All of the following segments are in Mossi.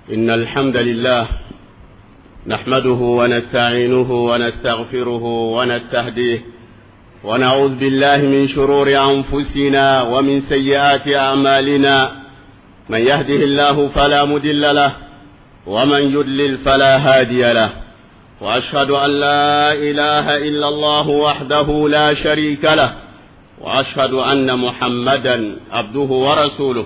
إن الحمد لله نحمده ونستعينه ونستغفره ونستهديه ونعوذ بالله من شرور أنفسنا ومن سيئات أعمالنا من يهده الله فلا مدل له ومن يدلل فلا هادي له وأشهد أن لا إله إلا الله وحده لا شريك له وأشهد أن محمدا عبده ورسوله.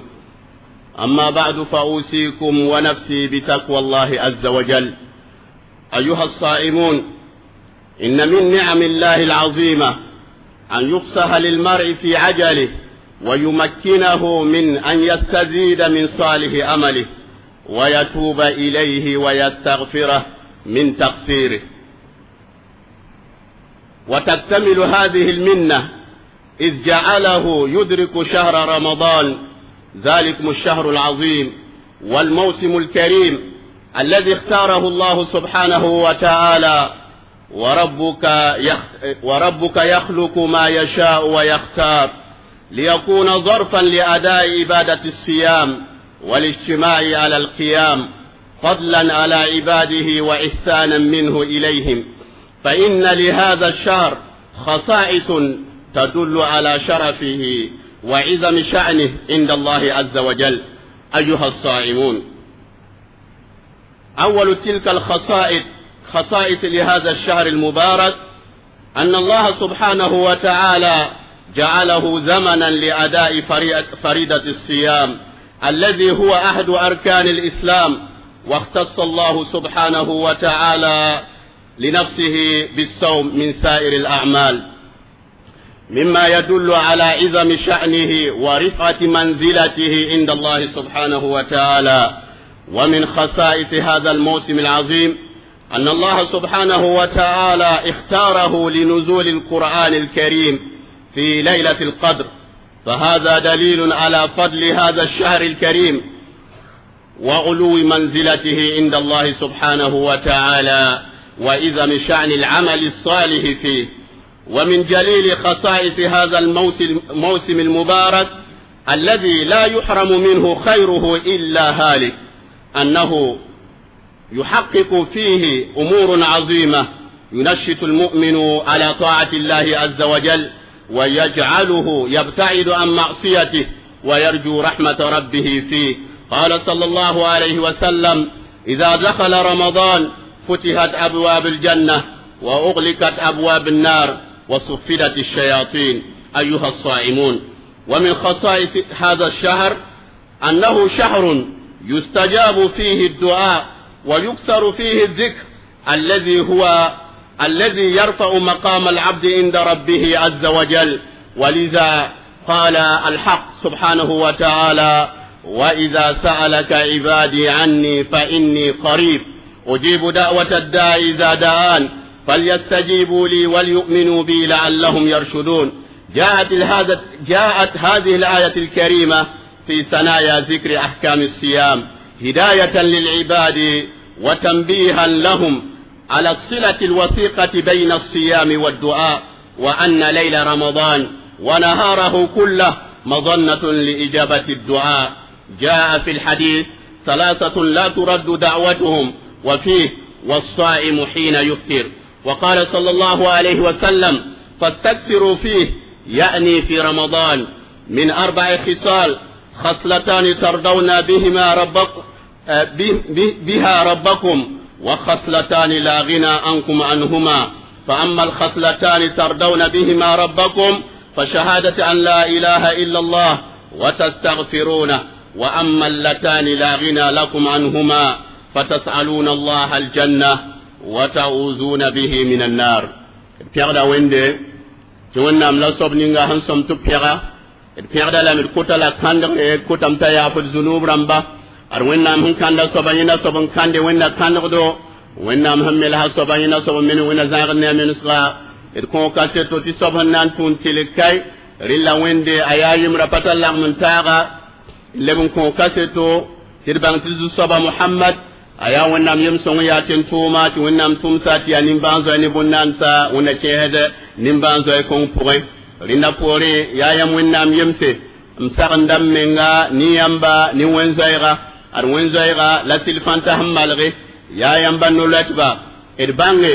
أما بعد، فأوصيكم ونفسي بتقوى الله عز وجل. أيها الصائمون، إن من نعم الله العظيمة أن يفسح للمرء في عجله ويمكنه من أن يستزيد من صالح أمله ويتوب إليه ويستغفره من تقصيره. وتكتمل هذه المنة إذ جعله يدرك شهر رمضان، ذلكم الشهر العظيم والموسم الكريم الذي اختاره الله سبحانه وتعالى. وربك يخلق ما يشاء ويختار ليكون ظرفا لأداء عبادة الصيام والاجتماع على القيام، فضلا على عباده وإحسانا منه إليهم. فإن لهذا الشهر خصائص تدل على شرفه وعظم شأنه عند الله عز وجل. أيها الصائمون، أول تلك الخصائص خصائص لهذا الشهر المبارك أن الله سبحانه وتعالى جعله زمنا لأداء فريضة الصيام الذي هو أحد أركان الإسلام، واختص الله سبحانه وتعالى لنفسه بالصوم من سائر الأعمال، مما يدل على عظم شأنه ورفعة منزلته عند الله سبحانه وتعالى. ومن خصائص هذا الموسم العظيم أن الله سبحانه وتعالى اختاره لنزول القرآن الكريم في ليلة القدر، فهذا دليل على فضل هذا الشهر الكريم وعلو منزلته عند الله سبحانه وتعالى وعظم شأن العمل الصالح فيه. ومن جليل خصائص هذا الموسم المبارك الذي لا يحرم منه خيره إلا هالك أنه يحقق فيه أمور عظيمة ينشط المؤمن على طاعة الله عز وجل ويجعله يبتعد عن معصيته ويرجو رحمة ربه فيه. قال صلى الله عليه وسلم: إذا دخل رمضان فتحت أبواب الجنة وأغلقت أبواب النار وصفدت الشياطين. أيها الصائمون، ومن خصائص هذا الشهر أنه شهر يستجاب فيه الدعاء ويكثر فيه الذكر الذي هو الذي يرفع مقام العبد عند ربه عز وجل. ولذا قال الحق سبحانه وتعالى: وإذا سألك عبادي عني فإني قريب أجيب دعوة الداع إذا دعان فليستجيبوا لي وليؤمنوا بي لعلهم يرشدون. جاءت هذه الآية الكريمة في ثنايا ذكر أحكام الصيام هداية للعباد وتنبيها لهم على الصلة الوثيقة بين الصيام والدعاء، وأن ليل رمضان ونهاره كله مظنة لإجابة الدعاء. جاء في الحديث: ثلاثة لا ترد دعوتهم، وفيه: والصائم حين يفطر. وقال صلى الله عليه وسلم: فاستكثروا فيه، يعني في رمضان، من 4 خصال: خصلتان ترضون بهما بها ربكم، وخصلتان لا غنى عنكم عنهما. فأما الخصلتان ترضون بهما ربكم فشهادة أن لا إله إلا الله وتستغفرونه، وأما اللتان لا غنى لكم عنهما فتسألون الله الجنة وتعوذون به من النار. Pɛgda wẽnde tɩ Wẽnnaam la soab ninga sẽn sõm tɩ pɛga d pẽgda lame d kota la kãndgre d kotame t'a yaaf d zunub rãmba. Ad Wẽnnaam sẽn kãnda soaba yẽnda soab n kãnde Wẽnna kãndgdo, Wẽnnaam sẽn melsa soaba yẽnda soab n mene Wẽnna zãagd ne a menesga. D kõo kaseto tɩ soab sẽn na n tũun tɩlg kai rɩlla Wẽnde a yaa yembrã pa tar lagm n taaga leb n kõo kaseto tɩ d bãng tɩ zu-soaba Mohamad a yaa Wẽnnaam yem-sõng yaa tẽn-tʋʋma tɩ Wẽnnaam tʋmsa tɩ yaa nimbãan-zoɛ ne bõn-naansa Wẽnna kẽesd nimbãan-zoɛ kõng pʋgẽ. Rẽnda poorẽ yaa yãmb Wẽnnaam yemse m sagenda m menga ne yãmba ne wẽn-zoɛɛga. Ad wẽn-zoɛɛga la sɩl fãnta sẽn malge yaa yãmba no-loɛtba d bãnge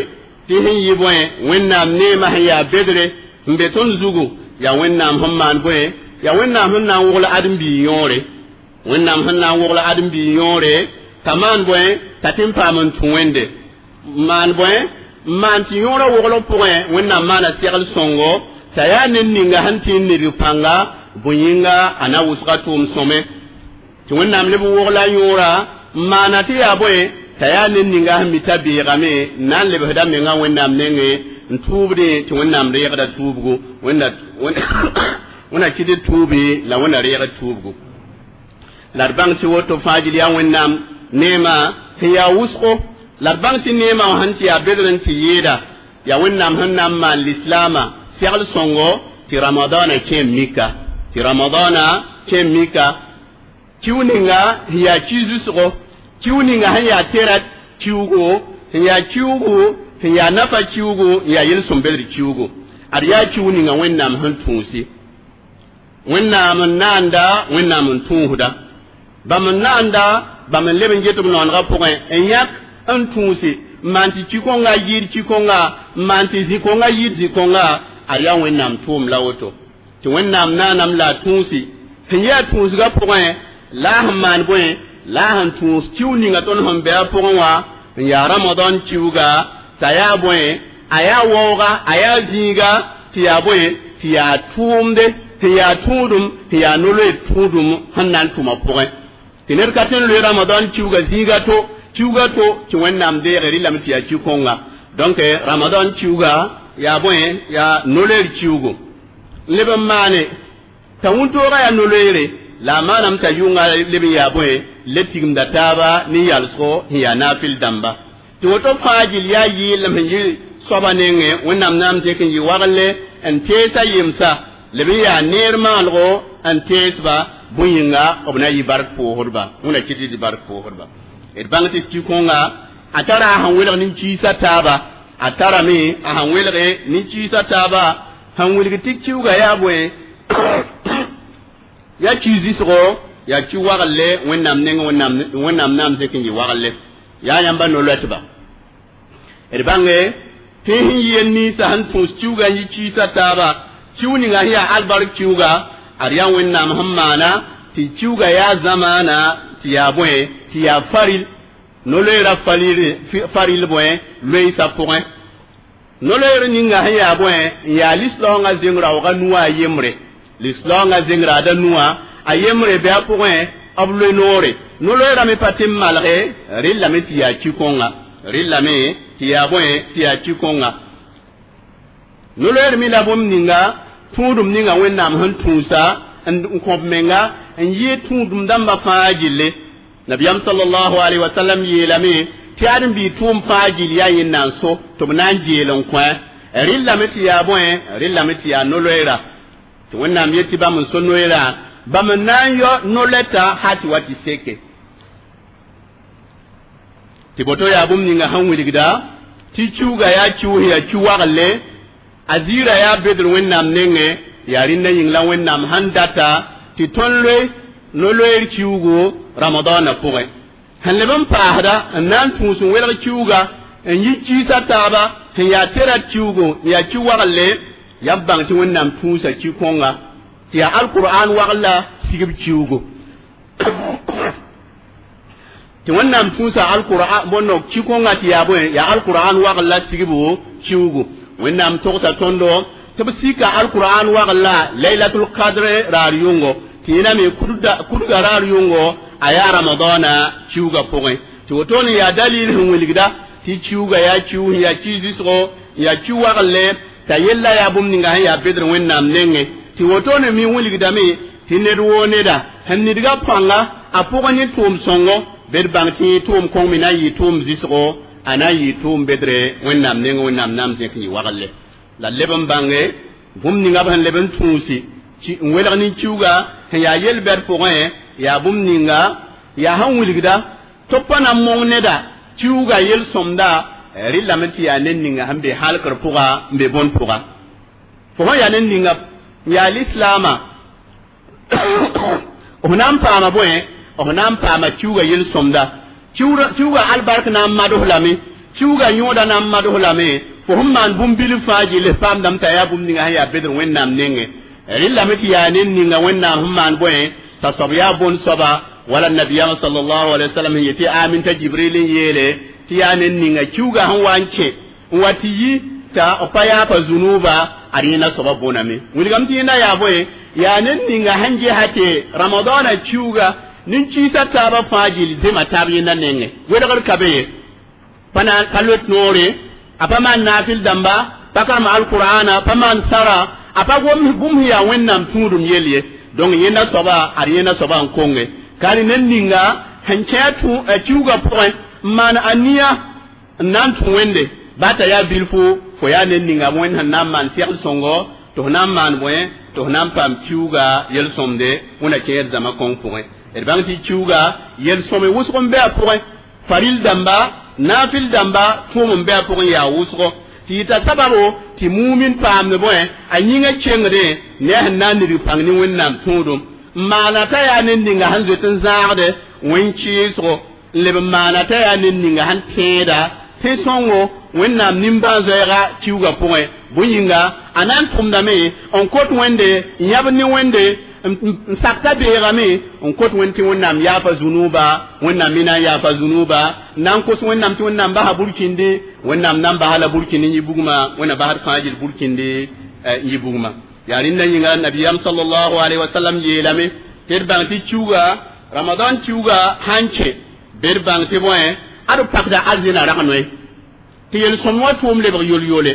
tɩ sẽn yɩ bõe Wẽnnaam neemã sẽn yaa bedre n be tõnd zugu yaa Wẽnnaam sẽn maan bõe yaa Wẽnnaam sẽn na n wogl ãdem-biig yõore Wẽnnaam sẽn na n wogl ãdem-biig yõore t'a maan bõe t'a tɩ n paam n tũ Wẽnde maan bõe n maan tɩ yõorã woglg pʋgẽ Wẽnnaam maana segl sõngo t'a yaa ned ninga sẽn tɩ n nidg pãnga bõe yĩnga a na wʋsga tʋʋm sõme tɩ Wẽnnaam leb n wogla yõora n maana tɩ yaa bõe t'a yaa ned ninga sẽn mi t'a beegame n na n lebsda menga Wẽnnaam nengẽ n tʋʋbdẽ tɩ Wẽnnaam reegda tuubgu Wẽnna kɩt d tuubi la Wẽnna reegd tuubgu la d bãng tɩ woto fãa gil yaa Wẽnnaam neemã sẽn yaa wʋsgo la d bãng tɩ neemã wã sẽn tɩ yaa bedr n tɩ yɩɩda yaa Wẽnnaam sẽn na n maan lislaamã segl sõngo tɩ Ramadaanã kẽ mika tɩ Ramadaanã kẽ mika kiu ninga sẽn yaa ki-zusgo kiu ninga sẽn yaa tɛra kiugo sẽn yaa kiugu sẽn yaa nafa kiugu n yaa yel-sõm bedr kiugu ad yaa kiu ninga Wẽnnaam sẽn tũusi Wẽnnaam n naanda Wẽnnaam n tũusda bãmb n naanda bãmb n leb n get b noonegã pʋgẽ n yãk n tũusi n maan tɩ ki-kõnga yɩɩd ki-kõnga n maan tɩ zĩ-kõnga yɩɩd zĩ-kõnga ad yaa Wẽnnaam tʋʋm la woto tɩ Wẽnnaam naanam la a tũusi sẽn yaa tũusgã pʋgẽ la a sẽn maan bõe la a sẽn tũus kiu ninga tõnd sẽn be a pʋgẽ wã n yaa Ramadan kiuga t'a yaa bõe a yaa waooga a yaa zĩiga tɩ yaa bõe tɩ yaa tʋʋmde sẽn yaa tũudum sẽn yaa no-loeer tũudum sẽn na n tʋma pʋgẽ tɩ ned ka tõe n loe Ramadan kiuga zĩiga to kiuga to tɩ Wẽnnaam deege rɩlame tɩ yaa ki-kõnga donc Ramadan kiuga yaa bõe yaa no-loeer kiugo n leb n maane t'a wũntoogã yaa no-loeere la a maaname t'a yʋnga leb n yaa bõe le tigimda taaba ne yalsgo sẽn yaa naafɩl dãmba tɩ woto fãa gil yaa yɩɩlem sẽn yɩ soaba nengẽ Wẽnnaam naam tɩk n yɩ wagle n teesa yemsa leb n yaa neer maalgo n teesba bõe yĩnga b na yɩ bark pʋʋsdba Wẽnna kɩt tɩ bark pʋʋsdba d bãng tɩ ki-kõnga a tara a sẽn welg nin-kiisã taaba a tarame a sẽn welge nin-kiisã taaba sẽn wilg tɩ kiuga yaa bõe yaa ki-zɩsgo yaa ki wagle Wẽnnaam neng Wẽnnaam naam zẽk n yɩ wagle yaa yãmba no-loɛtba d bãnge tɩ sẽn yɩ ninsã sẽn tũus kiuga n yɩ kiisã taaba kiu ninga sẽn yaa albark kiuga ad yaa Wẽnnaam sẽn maana tɩ kiuga yaa zamaana tɩ yaa bõe tɩ yaa faril no-loeerã faril bõe loeesã pʋgẽ no-loeer ninga sẽn yaa bõe n yaa lislaoongã zeng raoogã nuwã a yembre lislaoongã zeng raada nuwã a yembre bɩ a pʋgẽ b loe noore no-loeerã me pa tɩ n malge rɩllame tɩ yaa ki-kõnga rɩllame tɩ yaa bõe tɩ yaa ki-kõnga no-loeer me la bũmb ninga tũudum ninga Wẽnnaam sẽn tũusa n kõb menga n yɩɩ tũudum dãmbã fãa gilli Nabiyaam sallallahu alaihi wasallam yeelame tɩ ãdem-biig tʋʋm fãa gill yaa yẽnd na n so tɩ b na n geel n kõ rɩllame tɩ yaa bõe rɩllame tɩ yaa no-loeera tɩ Wẽnnaam yet tɩ bãmb n so noeerã bãmb n na n yao no-loɛta hal tɩ wa tɩ seke tɩ boto yaa bũmb ninga sẽn wilgda tɩ kiuga yaa kius yaa ki wagle a ziirã yaa bedr Wẽnnaam nengẽ yaa rĩndã yĩng la Wẽnnaam sẽn data tɩ tõnd loe no-loeer kiugo Ramadaanã pʋgẽ sẽn leb n paasda n na n tũus n welg kiuga n yi kiisã taaba sẽn yaa tɛra kiugo n yaa ki wagle yaa b bãng tɩ Wẽnnaam tũusa ki-kõnga tɩ yaa alkur'an wagla sigb kiugo tɩ Wẽnnaam tũusa alkur'an bõndo ki-kõnga tɩ yaa bõe yaa alkur'an wagla sigbo kiugo Wẽnnaam togsa tõndo tɩ b sika alkur'an wagla laylatul qadr raar yʋngo tɩ yẽna me kudga raar yʋngo a yaa Ramadaana kiuga pʋgẽ tɩ wotone yaa dalil sẽn wilgda tɩ kiuga yaa kiu sẽn yaa ki-zɩsgo n yaa ki wagle t'a yella yaa bũmb ninga sẽn yaa bedr Wẽnnaam nengẽ tɩ wotone me wilgdame tɩ ned woo neda sẽn nidga pãnga a pʋgẽ ne tʋʋm sõngo bed bãng tɩ tʋʋm kõng me na n yɩ tʋʋm zɩsgo a na n yɩ tʋʋm bedre Wẽnnaam nengẽ Wẽnnaam naam zẽk n yɩ wagle la leb n bãnge bũmb ninga b sẽn leb n tũusi n welg nin-kiuga sẽn yaa yel-bɛd pʋgẽ yaa bũmb ninga yaa sẽn wilgda tɩ b pa na n mong neda kiuga yel-sõmda rɩllame tɩ yaa ned ninga sẽn be halkr pʋga n be bõn pʋga fo sẽn yaa ned ninga n yaa lislaamã f na n paama bõe b na n paama kiuugã yel-sõmda kiuugã albark na n mads lame kiuugã yõoda na n mads lame fo sẽn maan bũmb bilf fãa gill paamdame t'a yaa bũmb ninga sẽn yaa bedr Wẽnnaam nengẽ rẽllame tɩ yaa ned ninga Wẽnnaam sẽn maan bõe t'a soab yaa bõn-soaba wala nabiyama sallallahu alaihi wasallam sẽn yetɩ amin t'a Jibril n yeele tɩ yaa ned ninga kiuugã sẽn wa n kẽ n wa tɩ yi t'a pa yaapa zunuba ad yẽnda soaba bõname wilgame tɩ yẽnda yaa bõe yaa ned ninga sẽn gesa tɩ Ramadaana kiuuga nin-kiisã taabã fãa gill zema taab yẽnda nengẽ welgr ka be ye pa na pa loet noore a pa maan naafɩl dãmba pa karem alqur'ana pa maan sara a pa gom bũmb sẽn yaa Wẽnnaam tũudum yell ye donc yẽnda soaba ad yẽnda soaba n konge ka ned ninga sẽn kẽ a kiuugã pʋgẽ n maan aniya n na n tũ Wẽnde ba t'a yaa bilfo fo yaa ned ninga Wẽnd sẽn na n maan segl sõngo tɩ f na n maan bõe tɩ f na n paam kiuugã yel-sõmde Wẽnna kẽer zãma kõng pʋgẽ d bãng tɩ kiuugã yel-sõme wʋsg n bɩ a pʋgẽ faril dãmba naafɩl dãmba tʋʋm n bɩ a pʋgẽ yaa wʋsgo tɩ yɩta sababo tɩ mumin paamd bõe a yĩngã kengdẽ ne a sẽn na n nidg pãng ne Wẽnnaam tũudum n maana t'a yaa ned ninga sẽn zoet n zãagde wẽn-kɩɩsgo n leb n maana t'a yaa ned ninga sẽn tẽeda tẽ-sõngo Wẽnnaam nimbãan-zoɛɛga kiuugã pʋgẽ bõe yĩnga a na n tʋmdame n kot Wẽnde n yãbd ne Wẽnde n sakta beegame n kot Wẽnd tɩ Wẽnnaam yaafa zunuba Wẽnnaam me na n yaafa zunuba n na n kos Wẽnnaam tɩ Wẽnnaam basa burkinde Wẽnnaam na n basa la burkindi n yɩ bugmã Wẽnna basd fãa gill burkindi n yɩ bugmã yaa rẽnda yĩnga nabiyam sallallahu alaihi wasallam yeelame tɩ d bãng tɩ kiuugã Ramadan kiuugã sãn kẽ bɩ d bãng tɩ bõe ad pakda arzẽna rag-noe tɩ yel-sõm wã tʋʋm lebg yol-yole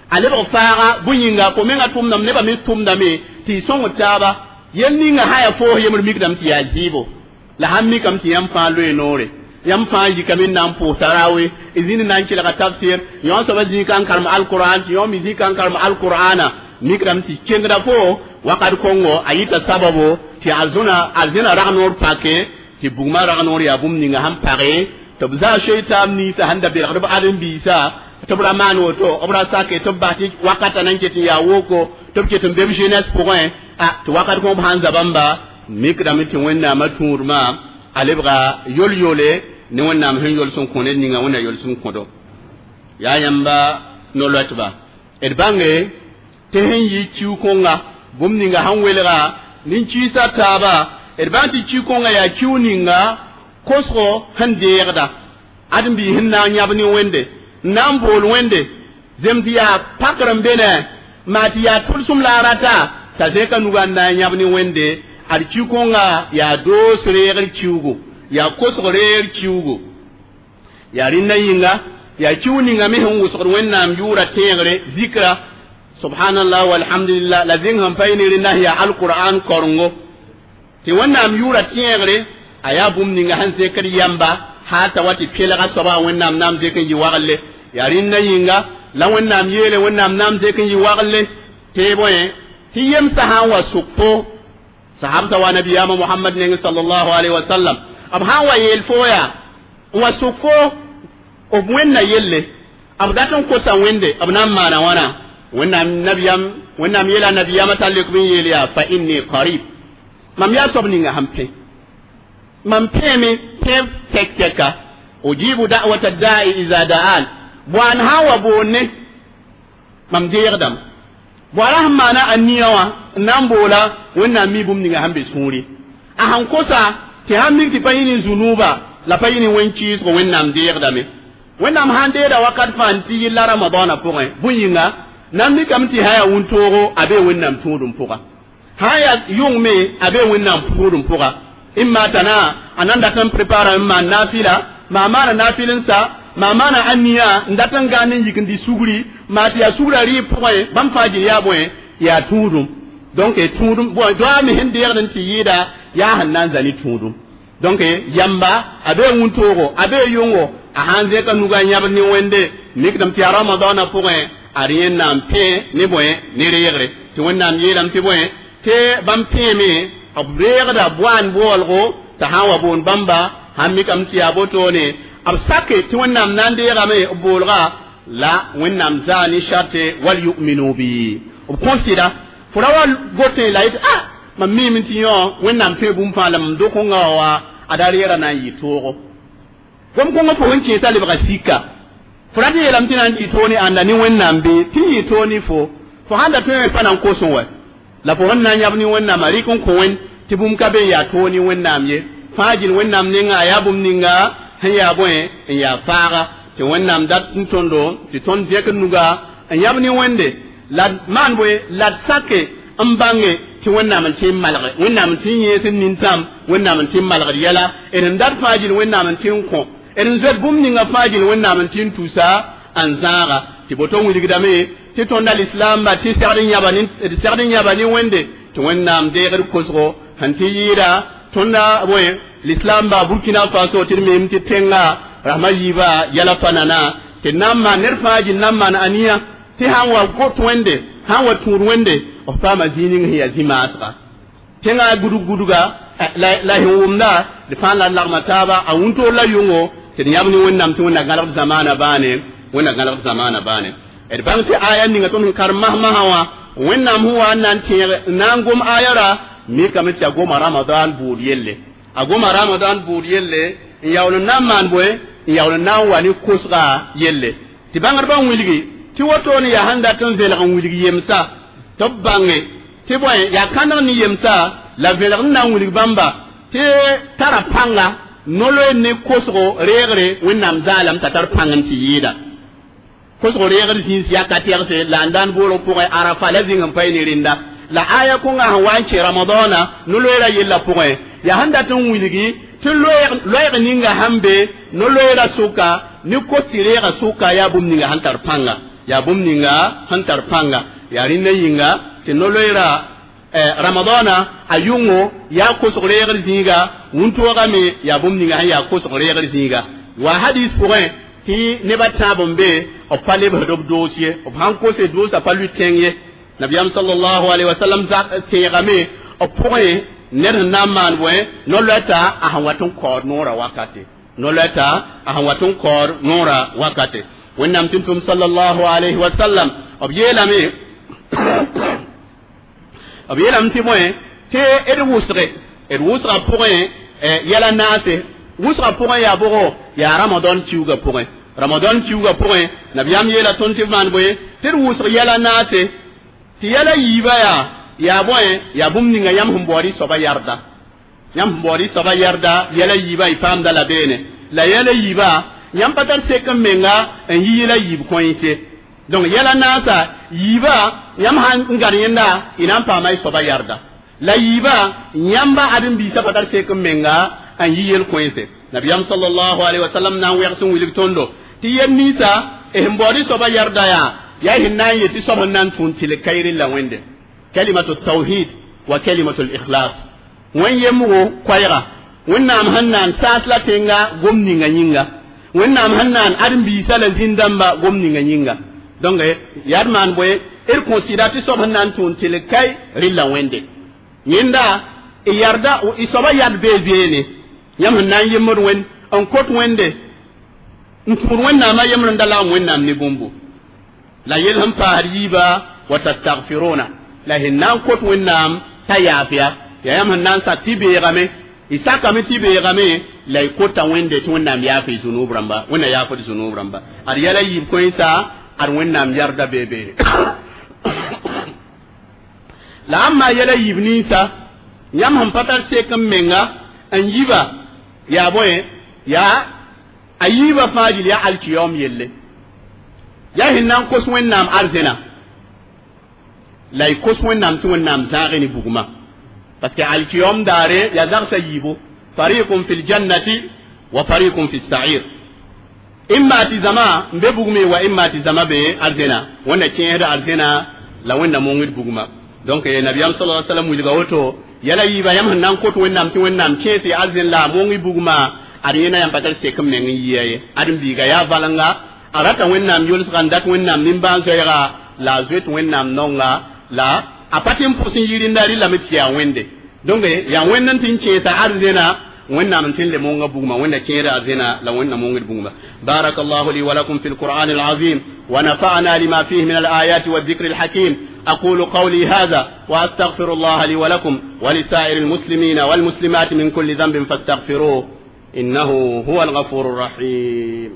a lebg faaga bõe yĩnga fo menga tʋmdame nebã me tʋmdame tɩ y sõng taaba yel ninga sã yaa foos yembr mikdame tɩ yaa zɩɩbo la sãn mikame tɩ yãmb fãa loe noore yãmb fãa yikame n na n pʋʋs tarawe y zĩnd na n kelga tafsir yõ soaba zĩig n karem alqur'an tɩ yõ me zĩig n karem alqur'ana mikdame tɩ kengda fo wakat kongo a yita sababo tɩ arzẽna rag-noor pake tɩ bugmã rag-noor yaa bũmb ninga sẽn page tɩ b zaa soe-taab ninsã sẽn da belgd b ãdem-biisã tɩ b ra maan woto b ra sake tɩ b bas tɩ wakatã na n ket n yaa woko tɩ b ket n be b jeunesse pʋgẽ a tɩ wakat kõ b sãn za bãmba mikdame tɩ Wẽnnaamã tũudmã a lebga yol-yole ne Wẽnnaam sẽn yols n kõ ned ninga Wẽnna yols n kõdo yaa yãmba no-loɛtba d bãnge tɩ sẽn yɩ kiu-kõnga bũmb ninga sẽn welga nin-kiisã taaba d bãng tɩ kiu-kõnga yaa kiu ninga kosgo sẽn deegda ãdem-biis sẽn na n yãb ne Wẽnde n na n bool Wẽnde zem tɩ yaa pakr n be ne maa tɩ yaa tʋlsem la a rata t'a zẽka nugã n na n yãb ne Wẽnde ad kiu-kõnga yaa doos reegr kiugo yaa kosg reegr kiugo yaa rẽnda yĩnga yaa kiu ninga me sẽn wʋsgd Wẽnnaam yʋʋra tẽegre zikra subhanallah walhamdulillah la zẽng sẽn pa yɩ ne rẽnda sẽn yaa alqur'an korengo tɩ Wẽnnaam yʋʋra tẽegre a yaa bũmb ninga sẽn zekd yãmba haa t'a wa tɩ pelga soaba Wẽnnaam na n zek n yɩ wagle yaa rẽnda yĩnga la Wẽnnaam yeele Wẽnnaam na n zek n yɩ wagle tɩ bõe tɩ yemsã sã n wa sʋk fo sahabta wa nabiyama Muhammad neng sallallahu alaihi wasallam b sã n wa yeel fo yaa n wa sʋk fo b wẽnna yelle b dat n kosa Wẽnde b na n maana wãna Wẽnnaam nabiyam Wẽnnaam yeela nabiyamã t'a lek b n yeel yaa fa inni qarib mam yaa soab ninga sẽn pẽ mam pẽeme pẽeb tɛk-tɛka ujibu da'wata da'i iza da'an boan sã n wa boonne mam deegdame boara sẽn maana a nia wã n na n boola Wẽnnaam mi bũmb ninga sẽn be sũuri a sẽn kosa tɩ sãn mik tɩ pa yɩ ne zunuuba la pa yɩ ne wẽn-kɩɩsgo Wẽnnaam deegdame Wẽnnaam sãn deeda wakat fãa n tɩ yɩlla Ramadaanã pʋgẽ bõe yĩnga na n mikame tɩ sã yaa wʋntoogo a bee Wẽnnaam tũudum pʋga sã n yaa yʋng me a bee Wẽnnaam tũudum pʋga imma tana a nan dat n prepara n maan naafɩla maa maana naafɩl n sa maa maana a nia n dat n gãan n yik n dɩ sugri maa tɩ yaa sugrã rɩɩb pʋgẽ bãmb fãa gil yaa bõe yaa tũudum donc tũudum bõe doa me sẽn deegd n tɩ yɩɩda yaa sẽn na n zã ne tũudum donc yamba a bee wũntoogo a bee yʋngo a sãn zẽka nugã yãbd ne Wẽnde mikdame tɩ yaa Ramadaanã pʋgẽ ad yẽnnaam pẽ ne bõe ne reegre tɩ Wẽnnaam yeelame tɩ bõe tɩ bãmb pẽeme b reegda boan boolgo t'a sã n wa boon bãmba sãn mikame tɩ yaa botone b sake tɩ Wẽnnaam na n deegame b boolga la Wẽnnaam zaa ne sharte wal yu'minu bi b kõsɩda fo ra wa gotẽ la yetɩ a mam miime tɩ yõ Wẽnnaam tõe bũmb fãa la mam dok-kõnga wa Ada reera na n yɩ toogo gom kõngã fo sẽn kẽesa lebga sika fo rat n yeelame tɩ na n yɩ toog ne ãnda ne Wẽnnaam bɩ tɩ n yɩ toog ne fo fo sãn da tõe wẽ pa na n kos wɛ la fo sẽn na n yãb ne Wẽnnaamã rɩk n kõ Wẽnd tɩ bũmb ka be n yaa toog ne Wẽnnaam ye fãa gil Wẽnnaam nenga a yaa bũmb ninga sẽn yaa bõe n yaa faaga tɩ Wẽnnaam dat n tõndo tɩ tõnd zẽkd nuga n yãb ne Wẽnde la d maan bõe la d sake n bãnge tɩ Wẽnnaam n tɩ n malge Wẽnnaam n tɩ n yẽes n nintãm Wẽnnaam n tɩ n malgd yɛla d n dat fãa gil Wẽnnaam n tɩ n kõ d n zoet bũmb ninga fãa gil Wẽnnaam n tɩ n tusa n zãaga tɩ boto wilgdame tɩ tõnda lislaamba tɩ segd n yãba ne d segd n yãba ne Wẽnde tɩ Wẽnnaam deegd kosgo sẽn tɩ yɩɩda tõnda bõe lislaamba Burkina Faso tɩ d meem tɩ tẽnga rasma yiiba yɛla pa nana tɩ d na n maan ned fãa gil na n maan aniya tɩ sãn wa got Wẽnde sãn wa tũud Wẽnde b paama zĩig ning sẽn yaa zĩ-maasga tẽngã gudg gudga la sẽn wʋmda d fãa la d lagma taaba a wũntoor la yʋngo tɩ d yãb ne Wẽnnaam tɩ Wẽnna gãlegd zamaana baane Wẽnna gãlegd zamaana baane d bãng tɩ aya ninga tõnd sẽn karem masmasã wã Wẽnnaam sẽn wa n na n tẽeg n na n gom aya ra mikame tɩ a goma Ramadan buud yelle a goma Ramadan buud yelle n yaool n na n maan bõe n yaool n na n wa ne kosga yelle tɩ bãngdbã n wilgi tɩ woto ne yaa sẽn dat n vẽlg n wilg yemsa tɩ b bãnge tɩ bõe yaa kãndg ne yemsa la vẽlg n na n wilg bãmba tɩ tara pãnga no-loeer ne kosgo reegre Wẽnnaam zaalame t'a tar pãng n tɩ yɩɩda kosgo reegr zĩis yaa ka tɛgse la n daan boolg pʋgẽ Arafa la zĩng n pae ne rẽnda la aya kõnga sẽn wa n kẽ Ramadãna no-loeerã yellã pʋgẽ yaa sẽn dat n wilgi tɩ loeeg ninga sãn be no-loeerã sʋka ne kos tɩ reegã sʋka yaa bũmb ninga sẽn tar pãnga yaa bũmb ninga sẽn tar pãnga yaa rẽnda yĩnga tɩ no-loeerã Ramadãna a yʋngo yaa kosg reegr zĩiga wũntoogame yaa bũmb ninga sẽn yaa kosg reegr zĩiga wa hadis pʋgẽ tɩ nebã tãab n be b pa lebsd b doos ye b sãn kose doosã pa lʋɩ tẽng ye Nabiyaam sallallahu alaihi wasallam tẽegame b pʋgẽ ned sẽn na n maan bõe no-loɛta a sẽn wat n kaood noorã wakate no-loɛta a sẽn wat n kaood noorã wakate Wẽnnaam tɩ tʋm sallallahu alaihi wasallam b yeelame b yeelame tɩ bõe tɩ d wʋsge d wʋsgã pʋgẽ yɛla naase wʋsgã pʋgẽ yaa bʋgo yaa Ramadan kiuugã pʋgẽ Ramadan kiuugã pʋgẽ nabiyaam yeela tõnd tɩ b maan bõe tɩ d wʋsg yɛla naase tɩ yɛla yiibã yaa yaa bõe yaa bũmb ninga yãmb sẽn baood y soaba yarda yãmb sẽn baood y soaba yarda yɛla yiibã y paamda la beene la yɛla yiibã yãmb pa tar sek n menga n yi yɛla yiib kõense donc yɛla naasa yiibã yãmb sãn n gãd yẽnda y na n paama y soaba yarda la yiibã yãmba ãdem-biisã pa tar sek n menga n yi yel kõense nabiyaam sallallahu alaihi wasallam na n wɛgs n wilg tõndo tɩ yel ninsa sẽn baood y soaba yarda yaa yaa sẽn na n yet tɩ soab sẽn na n tũud tɩlg kaɩrẽ la Wẽnde kalimatu tawhid wa kalimatu likhlas wẽn yemgo koɛɛga Wẽnnaam sẽn na n saas la tẽnga gom ninga yĩnga Wẽnnaam sẽn na n ãdem-biisã la zĩn-dãmba gom ninga yĩnga donc yaa d maan bõe d considère tɩ soab sẽn na n tũud tɩlg kaɩ rɩlla Wẽnde yẽnda y yarda y soaba yad bee beene yãmb sẽn na n yemd Wẽnd n kot Wẽnde n tũud Wẽnnaamã yembr n da lagem Wẽnnaam ne bũmbu la yel sẽn paasd yiiba wa tastagfiruna la sẽn na n kot Wẽnnaam t'a yaafya yaa yãmb sẽn na n sak tɩ beegame y sakame tɩ beegame la y kota Wẽnde tɩ Wẽnnaam yaaf y zunub rãmba Wẽnna yaafd zunub rãmba ad yɛla yiib kõensa ad Wẽnnaam yarda bee beene la ãmb yɛla yiib ninsa yãmb sẽn pa tar sek n menga n yiba yaa bõe yaa a yiibã fãa gil yaa alkiyaoom yelle yaa sẽn na n kos Wẽnnaam arzẽna la y kos Wẽnnaam tɩ Wẽnnaam zãage ne bugmã parce que alkiyom daare yaa zagsã yiibo fariqun fi ljannati wa fariqun fi lsair imma tɩ zãma n be bugme wa imma tɩ zãma be arzẽna Wẽnna kẽesda arzẽna la Wẽnna mongd bugmã donc nabiyaam sala alaihi wasallam wilga woto yɛla yiibã yãmb sẽn na n kot Wẽnnaam tɩ Wẽnnaam kẽes y arzẽn la a mong y bugmã ad yẽna yãmb pa tar sek n meng n yɩa ye ãdem-biiga yaa valenga a rata Wẽnnaam yolsga n dat Wẽnnaam nimbãan-zoɛɛga la a zoet Wẽnnaam nonga la a pa tɩ n pʋs n yi rẽnda rɩlame tɩ yaa Wẽnde donc yaa Wẽnd n tɩ n kẽesa arzẽna Wẽnnaam n tɩ n le monga bugmã Wẽnna kẽeda arzẽna la Wẽnna mongd bugmã بارك الله لي ولكم في القرآن العظيم ونفعنا لما فيه من الآيات والذكر الحكيم. أقول قولي هذا وأستغفر الله لي ولكم ولسائر المسلمين والمسلمات من كل ذنب فاستغفروه إنه هو الغفور الرحيم.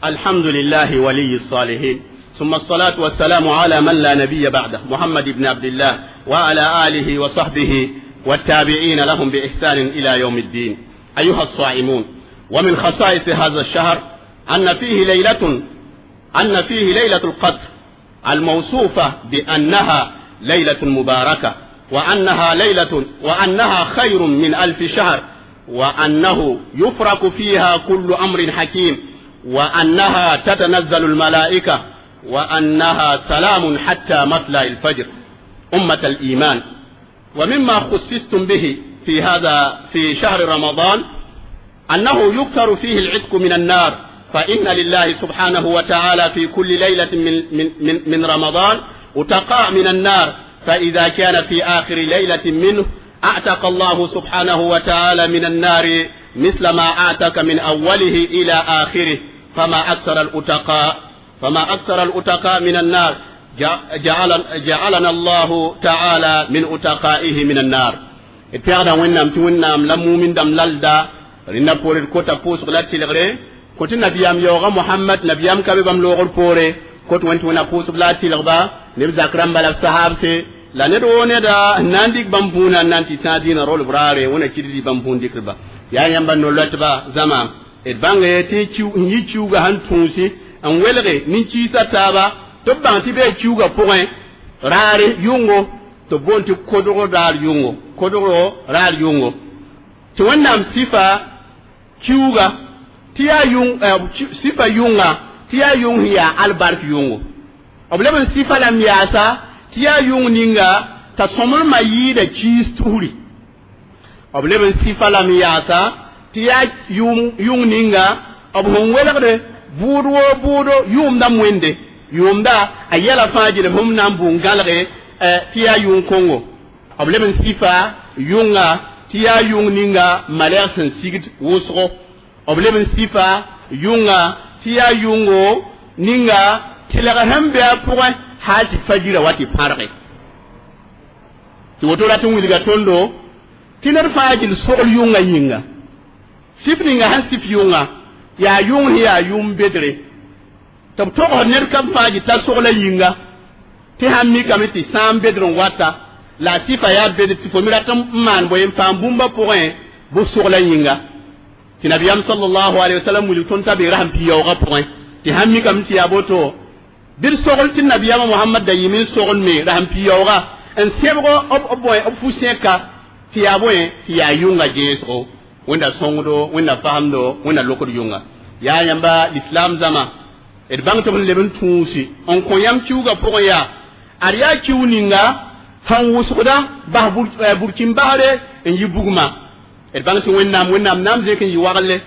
الحمد لله ولي الصالحين، ثم الصلاة والسلام على من لا نبي بعده، محمد بن عبد الله، وعلى آله وصحبه والتابعين لهم بإحسان إلى يوم الدين. أيها الصائمون، ومن خصائص هذا الشهر أن فيه ليلة القدر الموصوفة بأنها ليلة مباركة، وأنها خير من 1000 شهر، وأنه يفرق فيها كل أمر حكيم، وأنها تتنزل الملائكة، وأنها سلام حتى مطلع الفجر. أمة الإيمان، ومما خصصتم به في شهر رمضان أنه يكثر فيه العتق من النار، فإن لله سبحانه وتعالى في كل ليلة من, من, من رمضان أتقاء من النار، فإذا كان في آخر ليلة منه أعتق الله سبحانه وتعالى من النار مثل ما أعتق من أوله إلى آخره. فما أكثر الأتقاء من النار، جعلنا الله تعالى من أتقائه من النار. اتفقنا وإنام توإنام لمؤمن دم للدا رنا بوري كوتا بوس غلات تلغري كوت نبيام يوغا محمد نبيام كبي بام لوغر بوري كوت وانت ونا بوس غلات تلغبا نبزا كرام بلا الصحاب سي لا ندو ندا نانديك بامبونا نانتي تادين رول براري ونا كيدي بامبون ديكربا يا يamba nolotba zama et bange te chiu yi chiuga han tunsi an welge nin chisa taba to bang ti be chiuga point rare yungo to bonti kodoro dar yungo kodoro rar yungo to wannam sifa chiuga tiya yung sifa yunga tiya yung hiya albark yungo obleben sifa lam yasa tiya yung ninga ta somr ma yida cheese turi obleben sifa lam yasa tiya yung ninga ob hon welgde budo budo yum da mwende yumda ayala fajil hum nan bungalge tiya yung kongo obleben sifa yunga tiya yung ninga maler sen sigid wosgo obleben sifa yunga tiya yungo ninga tilaga hambe apure hati fajira wati parre ti woto rat wilga tondo tinar fajil sogol yunga yinga sif ninga han sif yunga ya yung ya yum bedre tab to ner kam faji ta sogla yinga ti hammi kamiti sam bedron wata la sifa ya bedre ti fomira tam man boyem pam bumba point bu sogla yinga ti nabiyam sallallahu alaihi wasallam wuli ton tabi raham pi yoga point ti hammi kamiti ya boto bir sogol ti nabiyam muhammad da yimin sogol me raham pi yoga en sebgo ob ob boy ob fu seka ti ya boy ti ya yunga jeso wanda songdo wanda fahamdo wanda lokod yunga ya yamba l'islam zama et bang to leben tuusi on ko yam ciuga pour ya ariya ciuninga han wusda bah burkin bahre en yibugma et bang to wennam wennam nam zekin yi wagle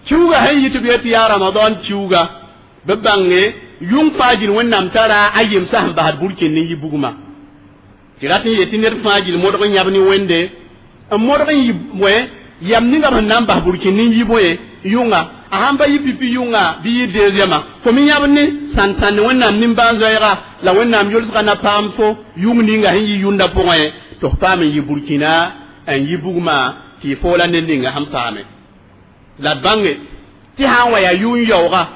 ciuga hay yitubiyati ya ramadan ciuga be bange yung fajil wennam tara ayim sah bah burkin ni yibugma tirati yetiner fajil modgo nyabni wende modgo yibwe yam ninga nan bah burkin ni yiboye yunga ahamba yipipi yunga bi deuxième fo mi yabni santan wennam nimbanzoira la wennam yolsga na pam fo yung ninga hin yunda point to pam yi burkina en yibugma ti fola ninga ham pame la bange ti han waya yun yoga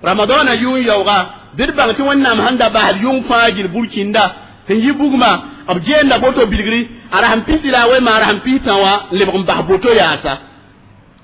ramadana yun yoga dir bang ti wennam handa bah yung fajil burkinda hin yibugma ab jenda boto bilgri ara ham pisila we ma ara ham pitawa lebum bah boto yasa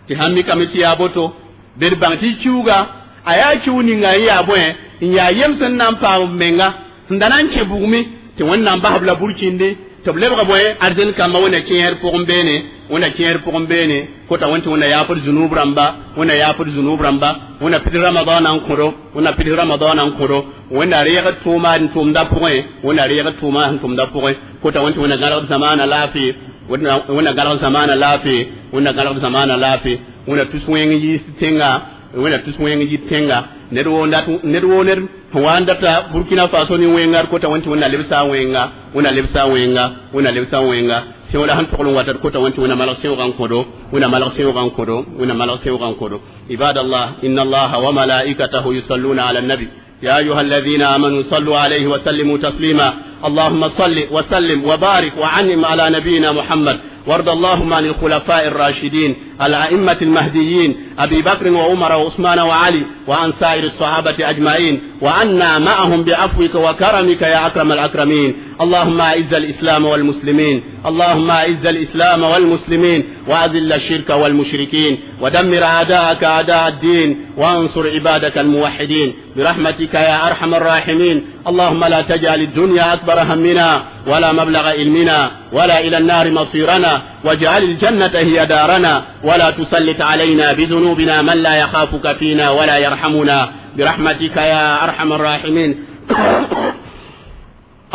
ti hammi kamiti ya boto bir bang ti ciuga aya ciuni nga ya boye ya yemsen nan pa menga ndanan che bugmi ti wannan bah bla burkinde to lebga boye arzen kamba wona kiyer pugum bene wona kiyer pugum bene ko ta wonti wona yafur zunub ramba wona yafur zunub ramba wona pid ramadan an koro wona pid ramadan an koro wona rega tuma n tumda puge wona rega tuma n tumda puge ko ta wonti wona galar zamana lafi wona galar zamana lafi wona galar zamana lafi wona tuswen yi tenga wona tuswen yi tenga nedwo nedwo ner wanda ta Burkina Faso ni wenga ko ta wonti wona lebsa wenga wona lebsa wenga wona lebsa wenga Tẽo la sẽn togl n wat d kota wã tɩ Wẽnna malg sẽoogã n kõ-do, Wẽnna malg sẽoogã n kõ-do, Wẽnna malg sẽoogã n kõ-do. Ibadallah, inna allaha wa malaikatahu yusalluna ala nabi. يا أيها الذين آمنوا صلوا عليه وسلموا تسليما. اللهم صل وسلم وبارك وعنم على نبينا محمد، وارض اللهم عن الخلفاء الراشدين الأئمة المهديين أبي بكر وعمر وعثمان وعلي، وعن سائر الصحابة أجمعين، وعنا معهم بعفوك وكرمك يا أكرم الأكرمين. اللهم أعز الإسلام والمسلمين، اللهم أعز الإسلام والمسلمين، وأذل الشرك والمشركين، ودمر أعداءك أعداء الدين، وانصر عبادك الموحدين برحمتك يا أرحم الراحمين. اللهم لا تجعل الدنيا أكبر همنا ولا مبلغ علمنا ولا إلى النار مصيرنا، واجعل الجنة هي دارنا، ولا تسلط علينا بذنوبنا من لا يخافك فينا ولا يرحمنا برحمتك يا أرحم الراحمين.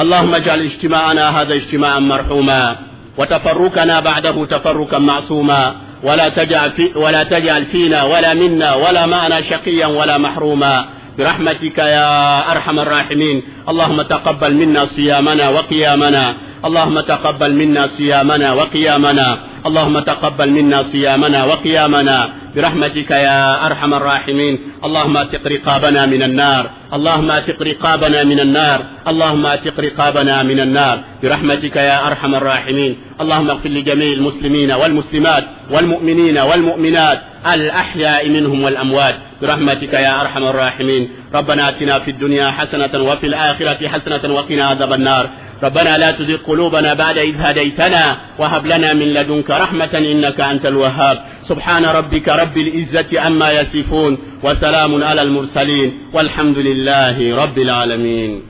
اللهم اجعل اجتماعنا هذا اجتماعا مرحوما، وتفرقنا بعده تفرقا معصوما، ولا تجعل فينا ولا منا ولا معنا شقيا ولا محروما برحمتك يا أرحم الراحمين. اللهم تقبل منا صيامنا وقيامنا، اللهم تقبل منا صيامنا وقيامنا، اللهم تقبل منا صيامنا وقيامنا برحمتك يا أرحم الراحمين. اللهم اعتق رقابنا من النار، اللهم اعتق رقابنا من النار، اللهم اعتق رقابنا من النار برحمتك يا أرحم الراحمين. اللهم اغفر لجميع المسلمين والمسلمات والمؤمنين والمؤمنات الأحياء منهم والأموات برحمتك يا أرحم الراحمين. ربنا آتنا في الدنيا حسنة وفي الآخرة حسنة وقنا عذاب النار. ربنا لا تزغ قلوبنا بعد إذ هديتنا وهب لنا من لدنك رحمة إنك أنت الوهاب. سبحان ربك رب العزة عما يصفون، وسلام على المرسلين، والحمد لله رب العالمين.